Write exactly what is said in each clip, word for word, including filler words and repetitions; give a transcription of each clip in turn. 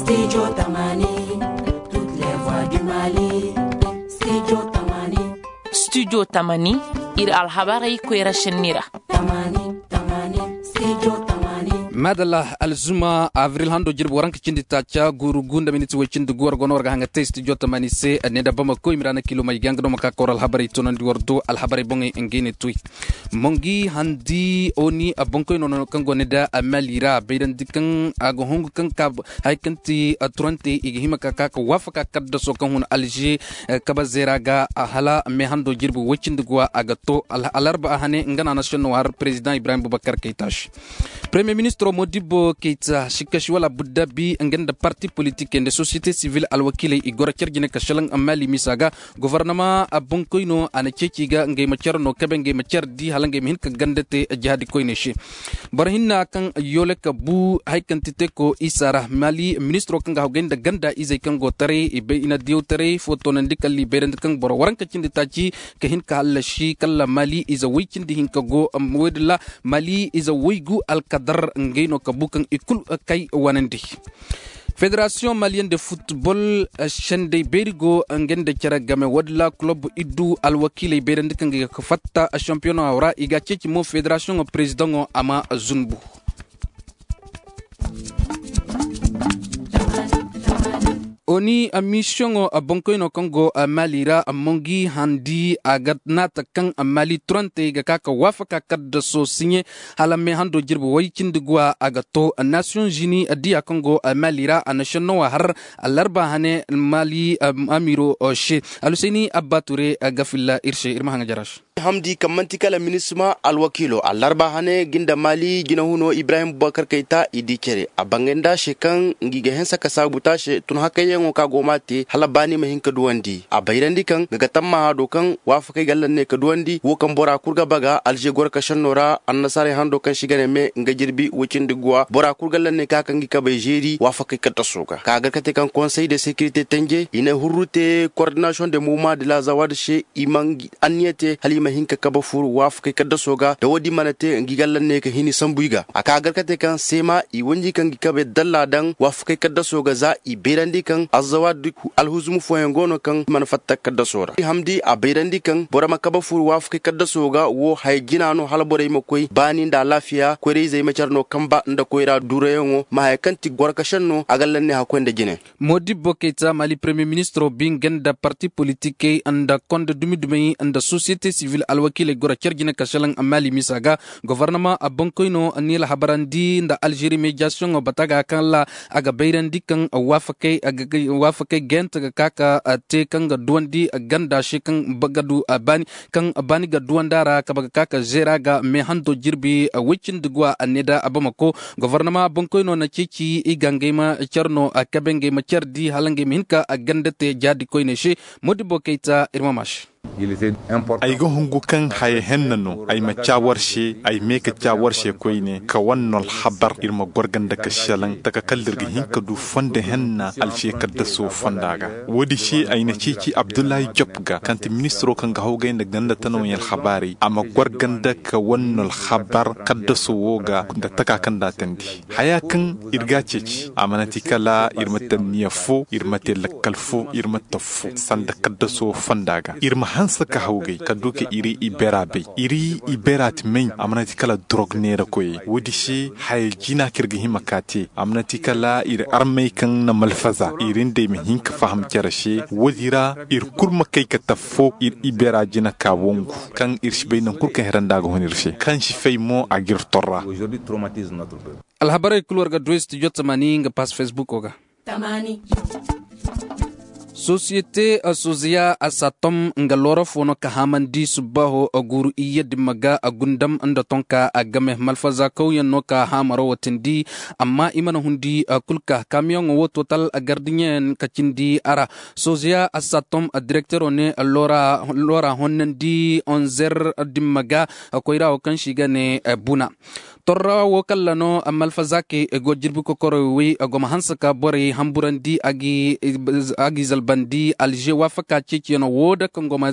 Studio Tamani, toutes les voix du Mali. Studio Tamani. Studio Tamani, iri alhabarey koyra senni ra. Madalla, alzuma avril hando jirbi waranka cindi taaca guuru gunda miniti way cindi gu war gono war ga hanga te studio Tamani se ne da bama koy mirana kilo may ganga do maka kor alhabarey tonandi war do alhabarey bongey ngey ne tuy. Mongi handi oni a bonkoy no kaŋ go ne da a mali ra bayrandi kaŋ a ga hungu kaŋ ka hari kaŋ ti turante i ga hima ka ka ka waafaka kaddaso kaŋ hun alje kabe zeera ga hala me hando jirbi way cindi guwa a ga to. Alarba a hane nga na national war president ibrahim bubakar kayta se premier ministro modibbo kayta sikka si wala buddabi nga nda parti politik nda société civile alwakiley i goro care jine ka selaŋ mali misa ga gofornama a boŋ koyno a na ceeci ga ngey ma care no kabe ngey ma care di hala ngey ma hin ka ganda te jahadi koyne se. Boro hinna kaŋ yoole ka bu hari kaŋ ti te ko isa ra mali ministro kaŋ ga hawgay nda ganda izey kaŋ go taray i bay i na diyaw taray fo toonandi kala i bayrandi kaŋ boro waranka cindi taaci ka hin ka hallasi kala mali ize way cindi hinka go. Woodin ra mali ize waygu alkadar ngey no ka bu kaŋ i kulu kay wanandi. Fédération malienne de football sendey beeri go nga nda care game wadilla kulob iddu alwakiiley beerandi kaŋ ga fatta championnat ra i ga ceeci mo fédération président a ma zunbu. Oni mission boŋkoyno kaŋ go mali ra mongi handi a ga naata kaŋ mali turantey ga ka ka waafaka kaddaso siɲe hala me hando jirbi way cindi guwa a ga to nations unis diya kaŋ go mali ra a na sennowa har alarba hane mali amiro se alhusayni abba ture ga filla iri se iri ma haŋa jara se. Hamdi kaŋ manti kala minisma alwakiilo alarba hane ga nda mali jinahuno ibrahim bubakar kayta i di care a bangay nda se kaŋ ngi ga hensa ka saabu taase tun hakayyaŋo ka go ma te hala baani ma hin ka duwandi a bayrandi kaŋ ga ga tammaha do kaŋ waafakey ga allanne ka duwandi wo kaŋ bora kulu ga baga alze goro ka senno ra annasaarey hando kaŋ si ga ne me nga jirbi way cindi guwa bora kulu ga allanne ka kaŋ ga kabay zeeri waafakey kaddaso ga ka ga kate kaŋ konsey de sekirite tanje i na hurru te kordinasiyoŋ de moma de la zawad se i ma anniya te hala i ma hin ka kabe furu waafakey kaddaso ga da wo- din mana te ngi ga allanne ka hini sambu i ga a ka ga kate kaŋ seema i wanji kaŋ ga kabe dalla daŋ waafakey kaddaso ga za i bayrandi kaŋ azzawad alhuzumu fooyaŋ go no kaŋ mana fatta kaddaso ra hamdi a bayrandi kaŋ boro ma kabe furu waafakey kaddaso ga wo haya jina no hala borey ma koy baani nda alaafiya koyrayzey ma care no kamba nda koyra duurayaŋo ma haya kaŋ ti goro ka senno a ga allanne hakkoy nda jine. Modibbo kayta mali premier ministro bi nga nda parti politikey nda konda dumi dumey nda société civile alwakiiley goro care jine ka selaŋ mali misa ga gofornama a boŋkoyno niila habarandi nda alzeeri mediasiyoŋo bata ga kaŋ ra a ga bayrandi kaŋ waafakey gayante ga ka ka te kaŋ ga duwandi ganda se kaŋ ga du baani kaŋ baani ga duwandi a ra kabe ga ka ka zeera ga me hando jirbi way cindi guwa a ne da a bamako gofornama boŋkoyno na ceeci i ga ngey ma care no a kabe ngey ma care di hala ngey ma hin ka ganda te jaadi koyne se. Modibbo kayta iri ma ma se. Ay ga hungu kaŋ haya henna no ay ma ca war se ay me ka ca war se koyne ka wane no alhabar iri ma goro ganda ka selaŋ taka kala iri ga hin ka du fondo henna alse kaddaso fonda ga. Wo- din se ay na ceeci abdullahi job ga kaŋ ti ministiro kaŋ ga hawgay nda ganda tanaŋey alhabaarey a ma goro ganda ka wane no alhabar kaddaso wo ga nda taka kaŋ da a tandi haya kaŋ iri ga a ceeci a mana ti kala iri ma te anniya fo iri ma te lakkal fo iri ma te afo sanda kaddaso fonda ga iri ma hanse ka hawgay kala du ka iri ibera bay iri ibera ti may a mana ti kala dorog neera koyey wo- din se haya jina kaŋ iri ga hima ka te a mana ti kala iri armey kaŋ na malfaza iri nd'ey ma hin ka faham care se wo- din ra iri kulu ma kay ka te afo iri ibera jina ka wangu kaŋ iri si bay nangu kulu kaŋ hera nda a ga hun iri se kaŋ si fay mo a ga iri torra. Alhabarey kulu war ga du studio tamani nga pass facebook ga. Sosiyete sozeya a satom nga loora fo no ka haamandi subbaaho guuru iyye dimma ga a gundam nda tonka a game malfaza kawyaŋ no ka haamaro watindi amma i mana hundi kulu ka kaamiyaŋo wo total gardiɲeyaŋ ka cindi a ra. Sozeya a satom direktero ne loora honnandi onzer dimma ga koyra wo kaŋ se i ga ne buna. Torra wo kalla no malfa zaakey go jirbi kokoroy way, go ma hanse ka borey hamburandi a g'i zalbandi alže waafaka ceeciyaŋo wo da kaŋ go ma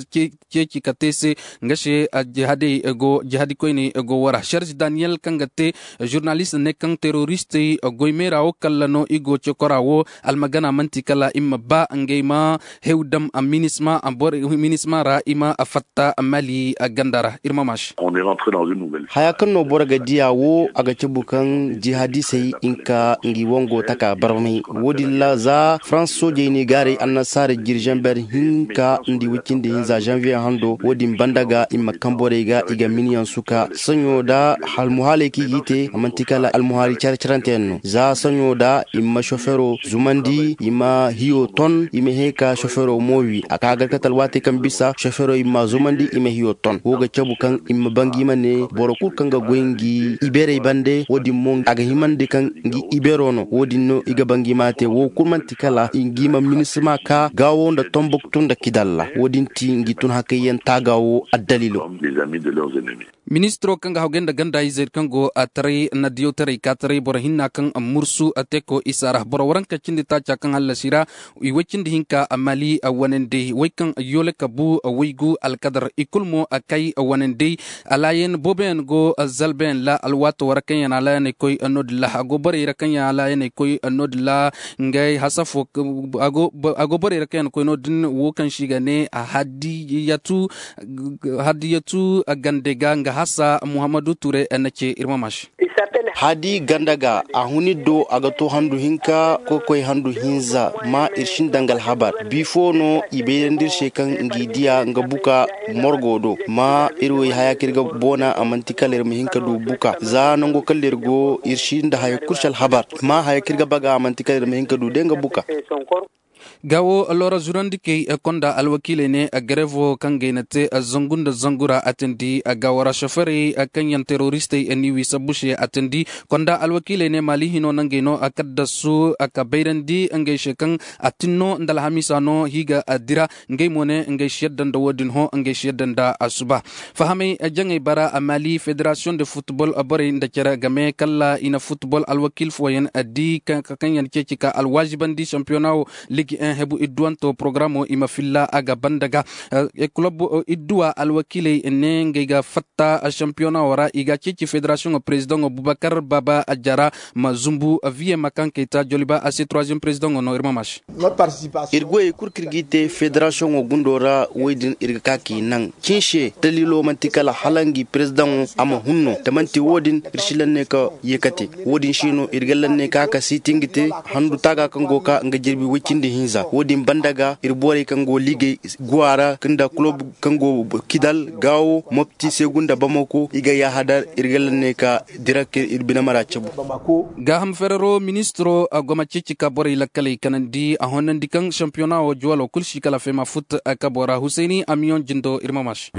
ceeci ka te se. Nga se jihadey go jihadi koyney go wara serge daniyel kaŋ ga te žurnalist ne kaŋ teroristey goy meera wo kalla no i go cokora wo. Almagana manti kala i ma ba ngey ma hew dam minisma ra i ma fatta mali ganda ra. Iri ma maasi. Haya kaŋ no boro ga diya wo a ga cabu kaŋ jihadisey hinka ngi wango taka barmay. Wo- din ra za farans soojey ne gaaray annasaara jirjamber hinka nda way cindi hinza zanviye hando wo- din banda ga i ma kaŋ borey ga i ga miniyaŋ suka saɲo da almuhaaley kaŋ i g'i te a manti kala almuhaali care carante yaŋ no za saɲo da i ma sofero zumandi i ma hiyo ton i ma hẽ ka sofero mo wi a ka gar ka talwaatey kaŋ bisa sofero i ma zumandi i ma hiyo ton wo ga cabu kaŋ i ma bangi ma ne boro kulu kaŋ ga goy ngi iberey bande wo- din mo a ga himandi kaŋ ngi ibero no wo- din no i ga bangi ma te wo kulu manti kala ngi ma minisma ka gaawo nda tombuktu nda kidalla wo- din ti ngi tun hakayyaŋ taaga wo addalilo. Ministiro kaŋ ga hawgay nda ganda izey kaŋ go a taray na diyawtaray ka taray boro hinna kaŋ mursu a te ko isa ra boro waranka cindi taaca kaŋ hallasi ra. I way cindi hinka a mali a wanandey way kaŋ yoole ka bu a waygu alkadar i kulu mo a kay a wanandey. Alaayaŋ booboyaŋ go zalbayaŋ ra alwaato ra kaŋ yaŋ alaayaŋ ay koy no- din ra a go borey ra kaŋ yaŋ alaayaŋ ay koy no- din ra. Ngey hasafo a go borey ra kaŋ yaŋ koy no- din wo kaŋ se i ga ne hadiyatu gande ga nga hasa muhammadu ture na ce iri ma maasi. Hadi ganda ga a hun iri do a ga to handu hinka koy koy handu hinza ma iri sinda nga alhabar bifo no i bayrandi iri se kaŋ ngi diya nga buka morgo do ma iri wo i haya kaŋ iri ga boona a manti kala iri ma hin ka du buka za nango kala iri go iri sinda haya kulu se alhabar ma haya kaŋ iri ga baga a manti kala iri ma hin ka du day nga buka. Ga wo loora zurandi kay konda alwakiiley ne garevo kaŋ gay na te zangu nda zangu ra a tindi ga wara soferey kaŋ yaŋ teroristey ni wi sabbu se a tindi. Konda alwakiiley ne maali hino nangey no a kaddasu ka bayrandi ngey se kaŋ a tinno nda alhamiisa no hiiga dira. Ngey mo ne ngey si yadda nda wo- din hõ ngey si yadda nda asuba. Fahamay jaŋey bara maali federasiyoŋ de futbol borey nda care game kala i na futbol alwakiil fooyaŋ di kaŋ yaŋ ceeci ka alwaazibandi sampiyona wo. Ligi en hebu idduwanto porogaraamo i ma filla a ga banda ga kulob idduwa alwakiiley ne ngey ga fatta sampiyona wo ra i ga ceeci federasiyoŋo perezidaŋo bubakar baaba jara ma zumbu viye ma kaŋ kay ta joliba a se troisième perezidaŋo no iri ma maasi. Iri goyey kulu kaŋ iri g'i te federasiyoŋo gundo ra wo- din iri ga ka k'i naŋ cin se daliilo manti kala hala ngi perezidaŋo a ma hun no da manti wo- din iri si lanne ka ye ka te. Wo- din se no iri ga lanne ka ka siiti nga te handu taaga kaŋ go ga ka nga jirbi way cindi hinza wo- din banda ga iri borey kaŋ go liigey guwa ra nda kulob kaŋ go kidal gaawo mopti seegu nda bamako i ga yaahadar iri ga lanne ka dira ka iri bine mara cabu. Gaaham ferero ministiro a go ma ceeci ka borey lakkaley kanandi a honnandi kaŋ sampiyona wo juwalo kulu si kala fema fut kabo ra husayni amiyoŋ jindo iri ma maasi.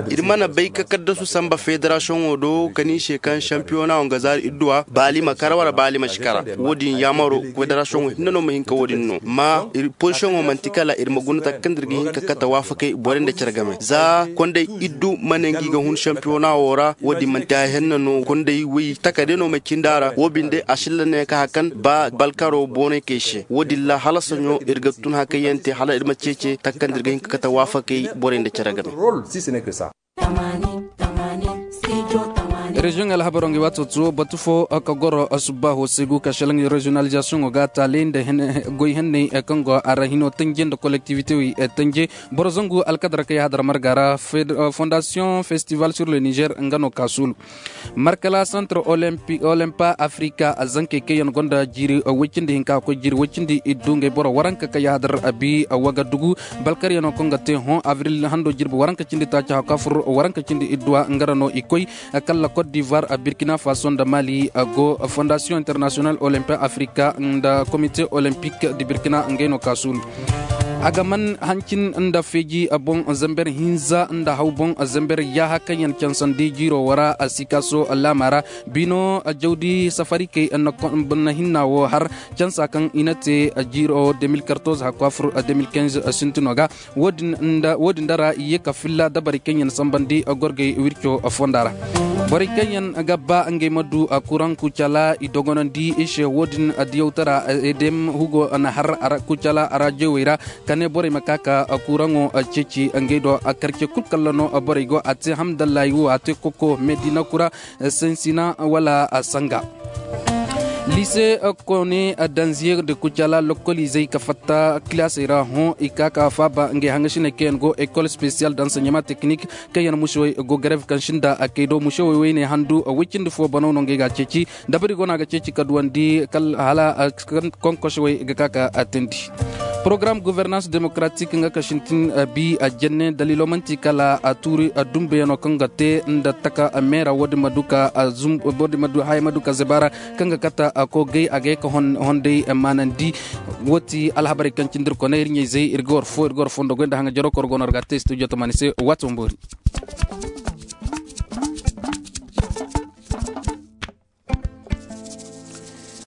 Iri mana bay ka kaddasu samba federasiyoŋo do ka ni se kaŋ sampiyona wo nga zaari idduwa baali ma kara wala baali ma si kara. Wo- din yaamaro federasiyoŋo hinne no ma hin ka wo- din no ma iri pozisiyoŋo manti kala iri ma guna taka kaŋ da iri ga hin ka kate waafakey borey nda care game za kondey iddu ma ne ngi ga hun sampiyona wo ra wo- din manti haya henna no kondey way taka day no ma cindi a ra wo- binde a silla ne ka hakan ba balkaro boonay kay se wo- din ra hala saɲo iri ga tun hakayyaŋ te hala iri ma ceece taka kaŋ da iri ga hin ka kate waafakey borey nda care game. Reziyoŋ alhabaro ngi waato to batu fo ka goro subbaaho se gu ka selaŋ reziyonalizasiyoŋo ga taale nda goy henney kaŋ go a ra hino tanje nda kolektivite wey tanje. Boro zangu alkadara ka yahadar marga ra fondasiyoŋ festival sur le niger nga no ka suulu. Markala santre olimpa afrika zankey kaŋ yaŋ gonda jiiri way cindi hinka ga koy jiiri way cindi iddu ngey boro waranka ka yahadar abi wagadugu balkaryaŋo kaŋ ga te hõ avril hando jirbi waranka cindi taaci hawka fur waranka cindi idduwa nga ra no i koy. Kala cote d'ivoire burkina faso nda mali go fondation international olympique africa nda comité olympique de burkina ngey no ka suulu. A ga man hancin nda feeji boŋ zamber hinza nda haw boŋ zamber yaaha kaŋ yaŋ cansandi jiiro wo ra. Sikaaso laama ra bino jawdi safarikey na hinna wo har cansa kaŋ i na te jiiro deux mille quatorze hakku a fur deux mille quinze sintino ga. Wo- din da ra i ye ka filla dabarey kaŋ yaŋ sambandi gorgey wirco fonda ra. Borey kaŋ yaŋ ga ba ngey ma du kuraŋ kucala i dogonandi i se wo- din diyawtara. Edem hugo na har kucala a ra jewey ra ka ne borey ma ka ka kuraŋo ceeci ngey do. Karce kulu kalla no borey go a te hamdallahi wo a te koko medina kura, sansina wala sanga. Lise kone danziye da kucala lokoliizey ka fatta kilaasey ra hõ i ka ka faaba ngey hangasiney kaŋ yaŋ go école spéciale d'enseignement technique kaŋ yaŋ musewey go grève kaŋ sinda kay do musewey wayne handu way cindi fo banaw no ngey ga ceeci. Dabari go no a ga ceeci ka duwandi hala konkosewey ga ka ka teendi. Porogaram gouvernance démocratique nga ka sintin bi a jenne daliilo manti kala a tuuri dumbeyaŋo kaŋ ga te nda taka meera wo- din ma du ka haya ma du ka zaba ra kaŋ ga kata a ko gay a ga ye ka honday maanandi. Wo ti alhabarey kaŋ cindi iri koney iri ɲayzey iri ga war fo iri ga war fondo goy nda haŋa jaro koro go no iri ga a te studio tamaani se waati wo boori.